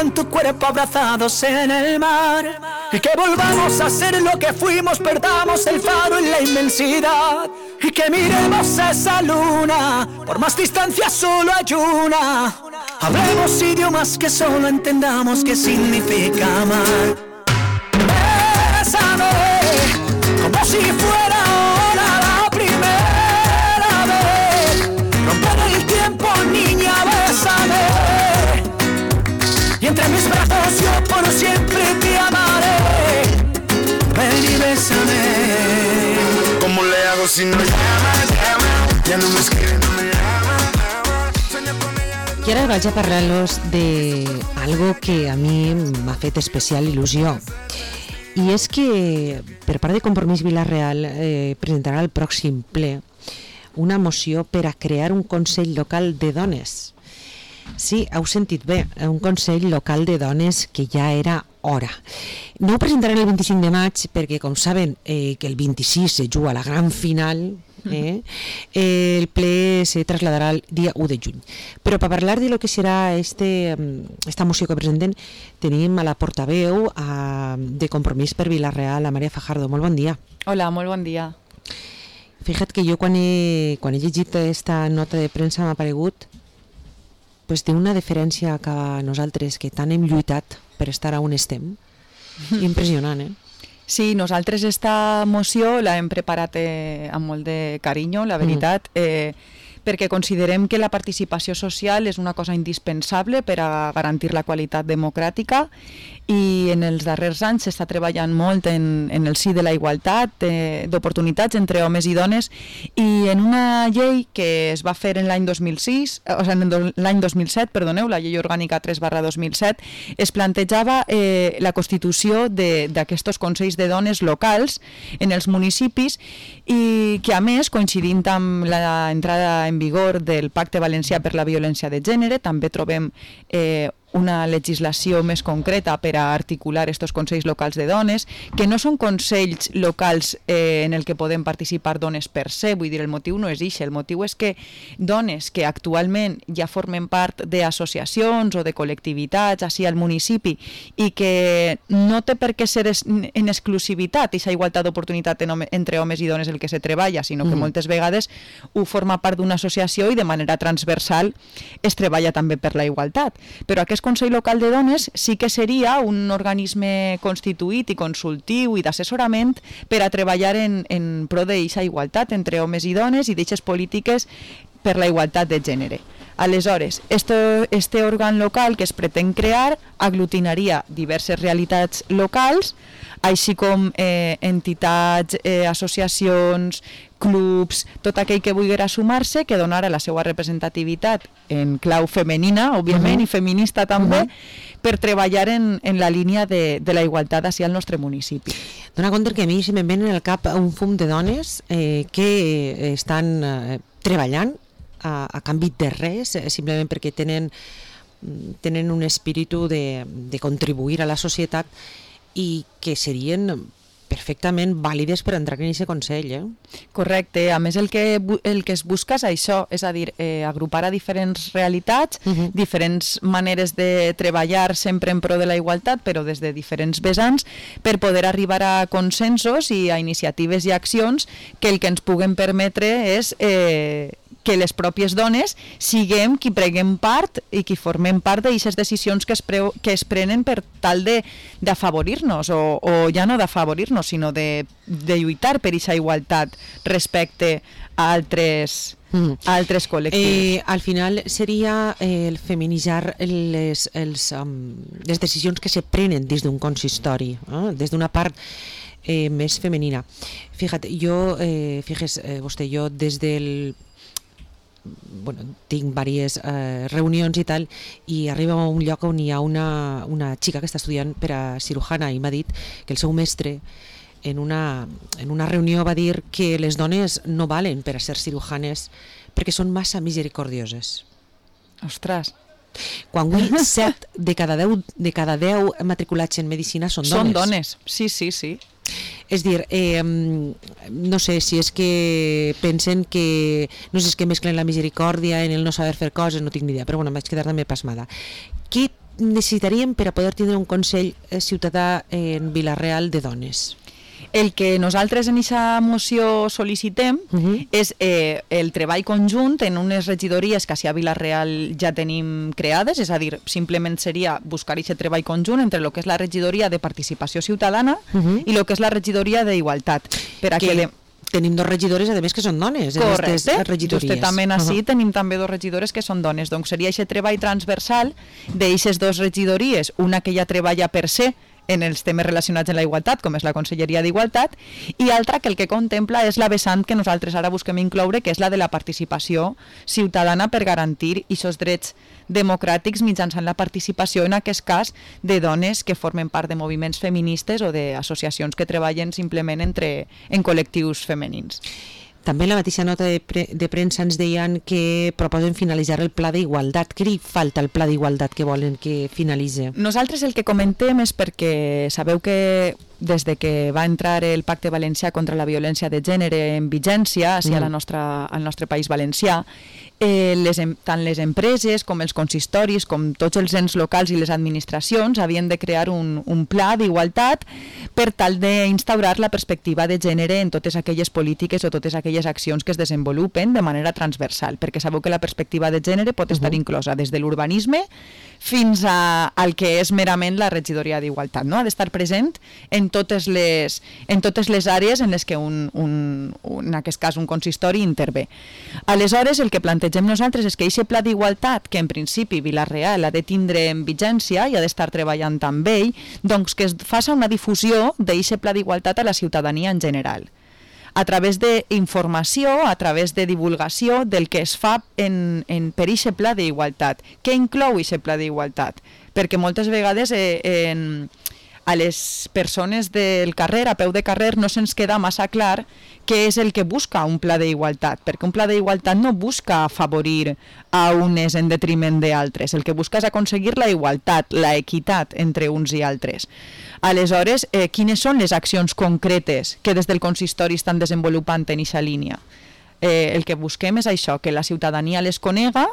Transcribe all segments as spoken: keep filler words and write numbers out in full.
en tu cuerpo abrazados en el mar. Y que volvamos a ser lo que fuimos, perdamos el faro en la inmensidad. Y que miremos esa luna, por más distancia solo hay una. Hablemos idiomas que solo entendamos qué significa amar. Bésame, como si fuera ahora la primera vez. Romper el tiempo, niña, bésame. Y entre mis brazos yo por siempre te amaré. Ven y bésame. ¿Cómo le hago si no llamas, llama? Ya no me escribe, no me llama. I ara vaig a parlar-los de algo que a mi m'ha fet especial il·lusió. I és que per part de Compromís Vila-real eh, presentarà al pròxim ple una moció per a crear un Consell Local de Dones. Sí, heu sentit bé, un Consell Local de Dones que ja era hora. No ho presentaran el vint-i-cinc de maig perquè, com saben, eh, que el vint-i-sis se juga la gran final. Eh? Eh, el ple se trasladarà el dia u de juny. Però per parlar de lo que serà este, esta moció que presenten tenim a la portaveu a, de Compromís per Vila-real, a Maria Fajardo. Molt bon dia. Hola, molt bon dia. Fíjate que jo quan he, quan he llegit esta nota de premsa m'ha aparegut pues, d'una deferència cap a nosaltres que tant hem lluitat per estar on estem. Impressionant, eh? Sí, nosaltres esta moció l'hem preparat eh, amb molt de carinyo, la veritat, eh, perquè considerem que la participació social és una cosa indispensable per a garantir la qualitat democràtica i en els darrers anys s'està treballant molt en, en el si de la igualtat eh, d'oportunitats entre homes i dones i en una llei que es va fer en l'any dos mil sis, o sigui, en l'any dos mil set, perdoneu, la llei orgànica tres barra dos mil set, es plantejava eh, la constitució d'aquests consells de dones locals en els municipis i que a més, coincidint amb l'entrada en vigor del Pacte Valencià per la Violència de Gènere, també trobem eh, una legislació més concreta per a articular estos consells locals de dones, que no són consells locals eh, en el que podem participar dones per se, vull dir, el motiu no és ixe, el motiu és que dones que actualment ja formen part d'associacions o de col·lectivitats així al municipi i que no té per què ser en exclusivitat aquesta igualtat d'oportunitat entre homes i dones el que se treballa, sinó que moltes vegades ho forma part d'una associació i de manera transversal es treballa també per la igualtat. Però aquest Consell Local de Dones sí que seria un organisme constituït i consultiu i d'assessorament per a treballar en, en pro d'aquesta igualtat entre homes i dones i d'aquestes polítiques per la igualtat de gènere. Aleshores, este, este òrgan local que es pretén crear aglutinaria diverses realitats locals, així com eh, entitats, eh, associacions, clubs, tot aquell que vulguera sumar-se, que donara la seva representativitat en clau femenina, òbviament, uh-huh. i feminista també, uh-huh. per treballar en, en la línia de, de la igualtat així al nostre municipi. Dona compte que a mi se me'n ven en el cap un fum de dones eh, que estan eh, treballant a, a canvi de res, eh, simplement perquè tenen, tenen un espíritu de, de contribuir a la societat i que serien perfectament vàlides per entrar en aquest Consell. Eh? Correcte. A més, el que, el que es busca és això, és a dir, eh, agrupar a diferents realitats, uh-huh. diferents maneres de treballar sempre en pro de la igualtat, però des de diferents vessants, per poder arribar a consensos i a iniciatives i accions que el que ens puguen permetre és eh, que les pròpies dones siguem qui preguem part i qui formem part d'aquestes decisions que es, pre que es prenen per tal d'afavorir-nos, o, o ja no d'afavorir-nos, sinó de, de lluitar per aquesta igualtat respecte a altres, mm. a altres col·lectius. Eh, al final seria eh, el feminitzar les, els, um, les decisions que se prenen des d'un consistori, eh? des d'una part eh, més femenina. Fíjate, jo, eh, fíjese eh, vostè, jo des del bueno, tinc diverses eh, reunions i tal, i arriba a un lloc on hi ha una, una xica que està estudiant per a cirujana i m'ha dit que el seu mestre en una, en una reunió va dir que les dones no valen per a ser cirujanes perquè són massa misericordioses. Ostres! Quan avui set de cada deu, de cada deu matriculats en medicina són dones. Són dones, sí, sí, sí. És dir, eh, no sé si és que pensen que no sé si és que mesclen la misericòrdia en el no saber fer coses, no tinc ni idea, però bueno, em vaig quedar també pasmada. Què necessitaríem per a poder tindre un Consell Ciutadà en Vila-real de dones? El que nosaltres en aquesta moció sol·licitem uh -huh. és eh, el treball conjunt en unes regidories que a Vila-real ja tenim creades, és a dir, simplement seria buscar aquest treball conjunt entre el que és la regidoria de participació ciutadana uh -huh. i el que és la regidoria d'igualtat. Per a que... que de... Tenim dos regidores, a més, que són dones. Correcte, justament així uh -huh. tenim també dos regidores que són dones. Doncs seria aquest treball transversal d'eixes dos regidories, una que ja treballa per se en els temes relacionats amb la igualtat, com és la Conselleria d'Igualtat, i altra que el que contempla és la vessant que nosaltres ara busquem incloure, que és la de la participació ciutadana per garantir aquests drets democràtics mitjançant la participació, en aquest cas, de dones que formen part de moviments feministes o d'associacions que treballen simplement entre, en col·lectius femenins. També en la mateixa nota de, pre de premsa ens deien que proposen finalitzar el pla d'igualtat. Què li falta al pla d'igualtat que volen que finalitzi? Nosaltres el que comentem és perquè sabeu que des de que va entrar el Pacte Valencià contra la violència de gènere en vigència hacia mm. la nostra, al nostre país valencià, eh, les, tant les empreses com els consistoris, com tots els ens locals i les administracions havien de crear un, un pla d'igualtat per tal d'instaurar la perspectiva de gènere en totes aquelles polítiques o totes aquelles accions que es desenvolupen de manera transversal, perquè sabeu que la perspectiva de gènere pot estar uh -huh. inclosa des de l'urbanisme fins a, al que és merament la regidoria d'igualtat, no? Ha d'estar present en totes les, en totes les àrees en les que un, un, un, en aquest cas un consistori intervé. Aleshores, el que plantegem nosaltres és que aquest pla d'igualtat, que en principi Vila-real ha de tindre en vigència i ha d'estar treballant amb ell, doncs que es faci una difusió d'aquest pla d'igualtat a la ciutadania en general, a través d'informació, a través de divulgació del que es fa en, en, per aquest pla d'igualtat. Què inclou aquest pla d'igualtat? Perquè moltes vegades eh, en, a les persones del carrer, a peu de carrer, no se'ns queda massa clar què és el que busca un pla d'igualtat, perquè un pla d'igualtat no busca afavorir a unes en detriment d'altres, el que busca és aconseguir la igualtat, la equitat entre uns i altres. Aleshores, eh, quines són les accions concretes que des del consistori estan desenvolupant en aquesta línia? Eh, el que busquem és això, que la ciutadania les conega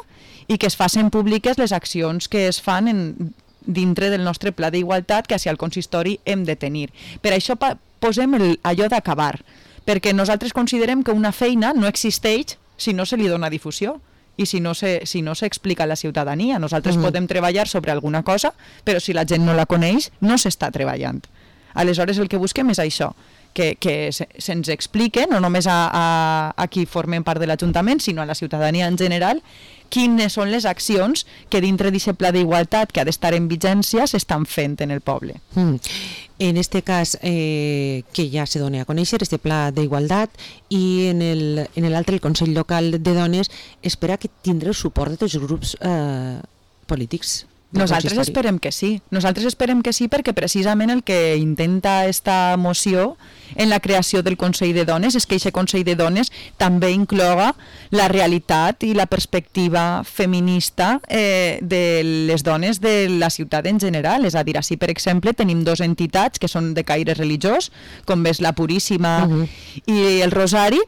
i que es facin públiques les accions que es fan en, dintre del nostre pla d'igualtat que hacia el consistori hem de tenir. Per això posem el, allò d'acabar, perquè nosaltres considerem que una feina no existeix si no se li dona difusió i si no se, si no s'explica a la ciutadania. Nosaltres mm. podem treballar sobre alguna cosa, però si la gent no la coneix, no s'està treballant. Aleshores, el que busquem és això, que, que se, se'ns explique, no només a, a, a qui formem part de l'Ajuntament, sinó a la ciutadania en general, quines són les accions que dintre d'aquest pla d'igualtat que ha d'estar en vigència s'estan fent en el poble. Mm. En este cas, eh, que ja se doni a conèixer, este pla d'igualtat, i en l'altre, el Consell Local de Dones, espera que tindrà el suport de tots els grups eh, polítics. Nosaltres esperem que sí. Nosaltres esperem que sí perquè precisament el que intenta esta moció en la creació del Consell de Dones és que aquest Consell de Dones també incloga la realitat i la perspectiva feminista eh, de les dones de la ciutat en general. És a dir, així, per exemple, tenim dues entitats que són de caire religiós, com és la Puríssima uh-huh. i el Rosari,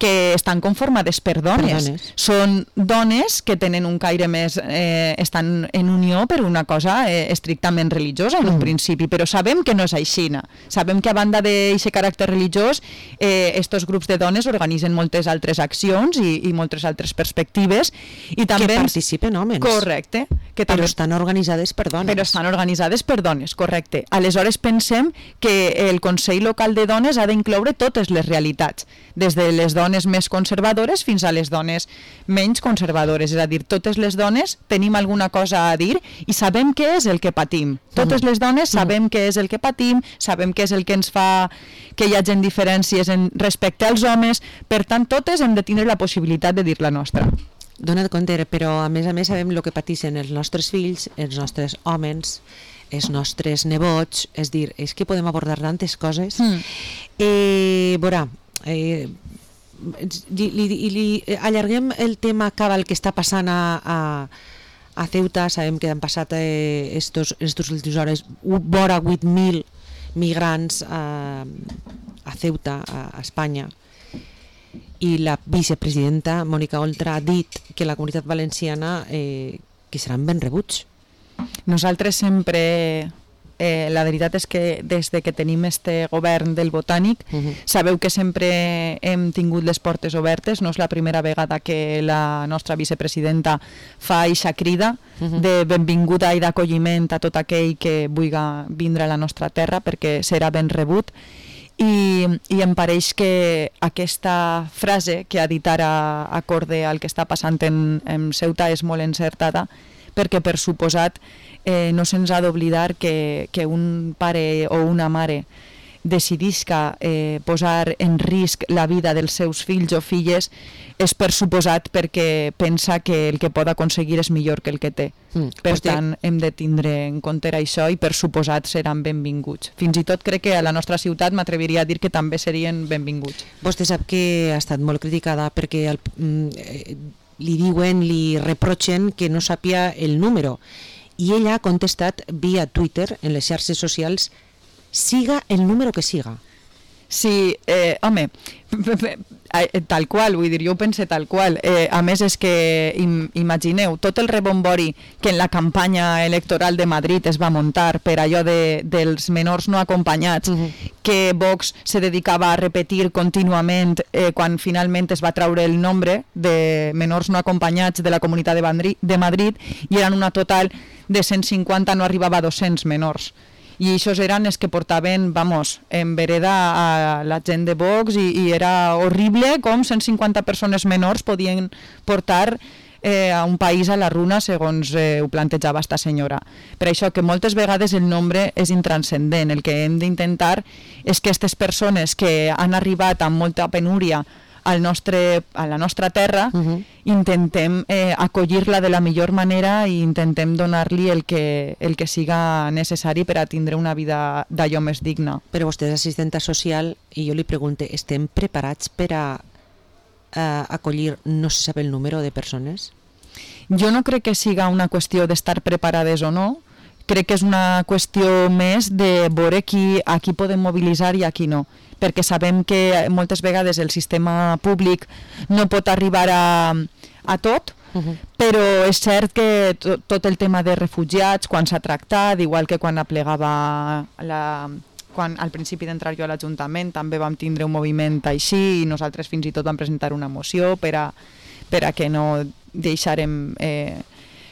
que estan conformades per dones. per dones. Són dones que tenen un caire més... Eh, estan en unió per una cosa eh, estrictament religiosa en un mm. principi, però sabem que no és així. Sabem que a banda d'aquest caràcter religiós, eh, estos grups de dones organitzen moltes altres accions i, i moltes altres perspectives. I també que participen homes. Correcte. Que però també... estan organitzades per dones. Però estan organitzades per dones, correcte. Aleshores pensem que el Consell Local de Dones ha d'incloure totes les realitats, des de les dones més conservadores fins a les dones menys conservadores. És a dir, totes les dones tenim alguna cosa a dir i sabem què és el que patim. Totes les dones sabem què és el que patim, sabem què és el que ens fa que hi hagi diferències en, respecte als homes, per tant, totes hem de tindre la possibilitat de dir la nostra. Dona't compte, però a més a més sabem el que pateixen els nostres fills, els nostres homes, els nostres nebots, és dir, és que podem abordar tantes coses. Mm. Eh, veurà, eh, li, li, li allarguem el tema cabal que està passant a... a A Ceuta. Sabem que han passat eh, estos, estos últims hores vora vuit mil migrants a, a Ceuta, a, a Espanya, i la vicepresidenta Mònica Oltra ha dit que la Comunitat Valenciana eh, que seran ben rebuts. nosaltres sempre... Eh, la veritat és que des de que tenim este govern del Botànic, uh-huh. sabeu que sempre hem tingut les portes obertes, no és la primera vegada que la nostra vicepresidenta fa eixa crida uh-huh. de benvinguda i d'acolliment a tot aquell que vulgui vindre a la nostra terra, perquè serà ben rebut. I, i em pareix que aquesta frase que ha dit ara acorde al que està passant en, en Ceuta és molt encertada, perquè per suposat eh, no se'ns ha d'oblidar que, que un pare o una mare decidisca eh, posar en risc la vida dels seus fills o filles és per suposat perquè pensa que el que pot aconseguir és millor que el que té. Mm, per vostè... tant, hem de tindre en compte això i per suposat seran benvinguts. Fins i tot crec que a la nostra ciutat m'atreviria a dir que també serien benvinguts. Vostè sap que ha estat molt criticada perquè el, eh, li diuen, li reprochen que no sàpia el número i ella ha contestat via Twitter en les xarxes socials siga el número que siga. Sí, eh, home, tal qual, vull dir, jo ho pense tal qual. Eh, a més és que, im, imagineu, tot el rebombori que en la campanya electoral de Madrid es va muntar per allò de, dels menors no acompanyats, uh-huh. que Vox se dedicava a repetir contínuament eh, quan finalment es va traure el nombre de menors no acompanyats de la Comunitat de Madrid, de Madrid i eren una total de cent cinquanta, no arribava a dos-cents menors. I això eren els que portaven, vamos, en vereda a la gent de Vox i, i era horrible com cent cinquanta persones menors podien portar eh, a un país a la runa segons eh, ho plantejava esta senyora. Per això que moltes vegades el nombre és intranscendent. El que hem d'intentar és que aquestes persones que han arribat amb molta penúria al nostre, a la nostra terra, uh-huh. intentem eh, acollir-la de la millor manera i intentem donar-li el que, el que siga necessari per a tindre una vida d'allò més digna. Però vostè és assistenta social i jo li pregunto, estem preparats per a eh, acollir no se sap el número de persones? Jo no crec que siga una qüestió d'estar preparades o no, crec que és una qüestió més de veure qui, a qui podem mobilitzar i a qui no, perquè sabem que moltes vegades el sistema públic no pot arribar a, a tot, uh-huh. però és cert que to, tot el tema de refugiats, quan s'ha tractat, igual que quan aplegava la... quan al principi d'entrar jo a l'Ajuntament també vam tindre un moviment així i nosaltres fins i tot vam presentar una moció per a, per a que no deixarem... Eh,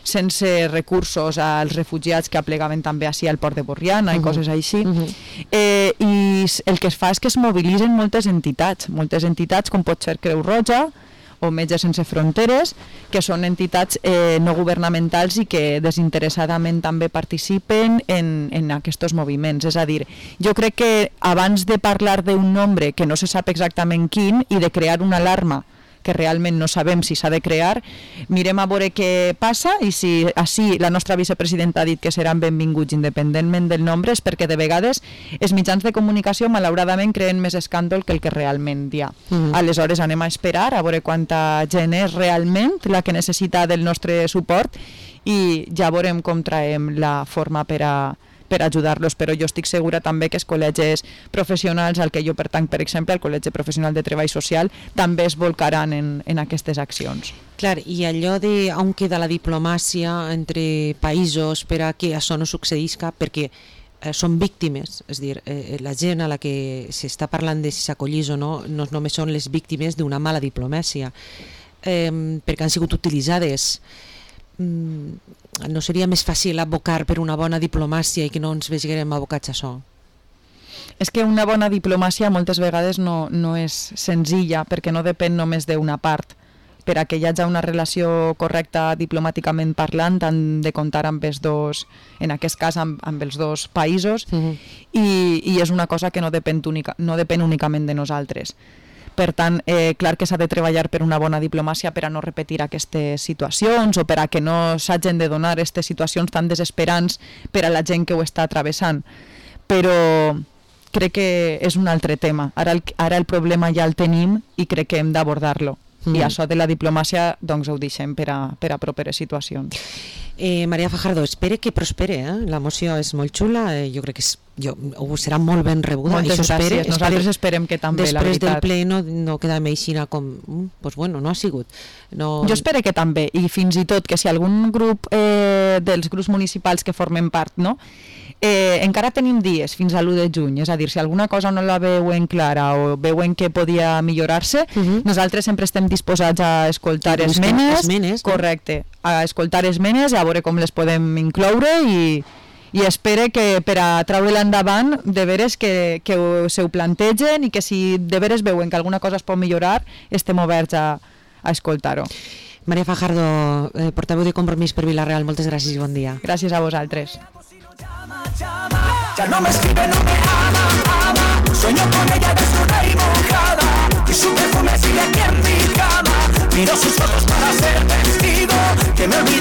sense recursos als refugiats que aplegaven també així al port de Borriana uh-huh. i coses així. Uh-huh. Eh, I el que es fa és que es mobilitzen moltes entitats, moltes entitats com pot ser Creu Roja o Metges Sense Fronteres, que són entitats eh, no governamentals i que desinteressadament també participen en, en aquests moviments. És a dir, jo crec que abans de parlar d'un nombre que no se sap exactament quin i de crear una alarma que realment no sabem si s'ha de crear, mirem a veure què passa i si així la nostra vicepresidenta ha dit que seran benvinguts independentment del nombre és perquè de vegades els mitjans de comunicació malauradament creen més escàndol que el que realment hi ha. Mm. Aleshores anem a esperar a veure quanta gent és realment la que necessita del nostre suport i ja veurem com traiem la forma per a per ajudar-los, però jo estic segura també que els col·legis professionals al que jo pertanc, per exemple, al Col·legi Professional de Treball Social, també es volcaran en, en aquestes accions. Clar, i allò de on queda la diplomàcia entre països per a que això no succeïsca, perquè eh, són víctimes, és a dir, eh, la gent a la que s'està parlant de si s'acollís o no, no només són les víctimes d'una mala diplomàcia, eh, perquè han sigut utilitzades. No seria més fàcil abocar per una bona diplomàcia i que no ens vegem abocats a això? És que una bona diplomàcia moltes vegades no, no és senzilla perquè no depèn només d'una part. Per a que hi hagi una relació correcta diplomàticament parlant han de comptar amb els dos, en aquest cas amb, amb els dos països uh-huh. i, i és una cosa que no depèn, única, no depèn únicament de nosaltres. Per tant, eh, clar que s'ha de treballar per una bona diplomàcia per a no repetir aquestes situacions o per a que no s'hagin de donar aquestes situacions tan desesperants per a la gent que ho està travessant. Però crec que és un altre tema. Ara el, ara el problema ja el tenim i crec que hem d'abordar-lo. Mm. I això de la diplomàcia doncs ho deixem per a, per a properes situacions. Eh, Maria Fajardo, espere que prospere, eh? La moció és molt xula, eh, jo crec que és, jo, serà molt ben rebuda. Moltes Això espere, gràcies, nosaltres espere, esperem que també, la després veritat. del ple no, no queda meixina com, mm, pues bueno, no ha sigut. No... Jo espero que també, i fins i tot que si algun grup eh, dels grups municipals que formen part, no? Eh, encara tenim dies fins a l'u de juny, és a dir, si alguna cosa no la veuen clara o veuen que podia millorar-se, uh -huh. nosaltres sempre estem disposats a escoltar esmenes, esmenes correcte, a escoltar esmenes, a veure com les podem incloure i, i espero que per a treure-la endavant de veres que, que ho, se ho plantegen i que si de veres veuen que alguna cosa es pot millorar estem oberts a, a escoltar-ho. Maria Fajardo, eh, portaveu de Compromís per Vila-real, moltes gràcies i bon dia. Gràcies a vosaltres. Ya no me escribe, no me ama, ama. Sueño con ella desnuda y mojada, y su perfume sigue aquí en mi cama. Miro sus ojos para ser testigo, que me